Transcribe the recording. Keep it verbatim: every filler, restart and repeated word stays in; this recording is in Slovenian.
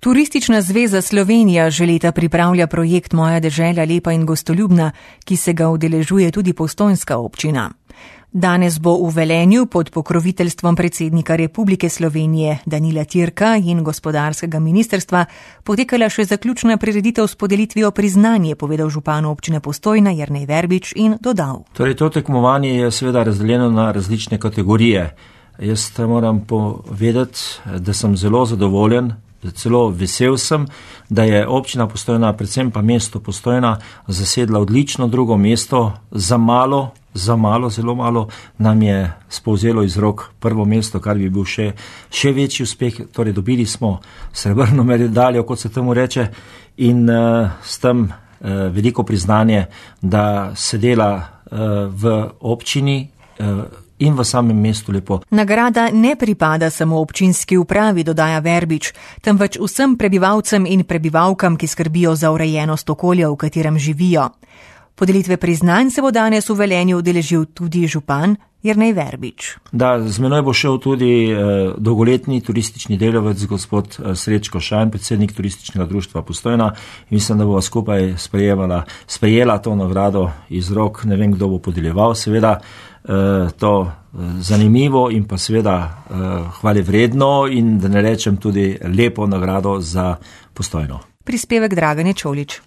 Turistična zveza Slovenija že leta pripravlja projekt Moja dežela lepa in gostoljubna, ki se ga udeležuje tudi postojnska občina. Danes bo v Velenju pod pokroviteljstvom predsednika Republike Slovenije Danila Türka in gospodarskega ministrstva potekala še zaključna prireditev s podelitvijo priznanja, povedal župan občine Postojna Jernej Verbič in dodal. Torej, to tekmovanje je seveda razdeljeno na različne kategorije. Jaz moram povedati, da sem zelo zadovoljen, celo vesel sem, da je občina Postojna, predvsem pa mesto Postojna, zasedla odlično drugo mesto. Za malo, za malo, zelo malo nam je spovzelo iz rok prvo mesto, kar bi bil še, še večji uspeh. Torej, dobili smo srebrno medaljo, kot se temu reče, in uh, s tem uh, veliko priznanje, da se dela uh, v občini uh, in v samem mestu lepo. Nagrada ne pripada samo občinski upravi, dodaja Verbič, temveč vsem prebivalcem in prebivalkam, ki skrbijo za urejenost okolja, v katerem živijo. Podelitve priznanj se bo danes v Velenju udeležil tudi župan Jernej Verbič. Da, z menoj bo šel tudi eh, dolgoletni turistični delavec gospod eh, Srečko Šajn, predsednik turističnega društva Postojna. Mislim, da bo skupaj sprejela, sprejela to nagrado iz rok, ne vem, kdo bo podeljeval, seveda eh, to eh, zanimivo in pa seveda eh, hvale vredno in da ne rečem tudi lepo nagrado za Postojno. Prispevek Dragane Čolič.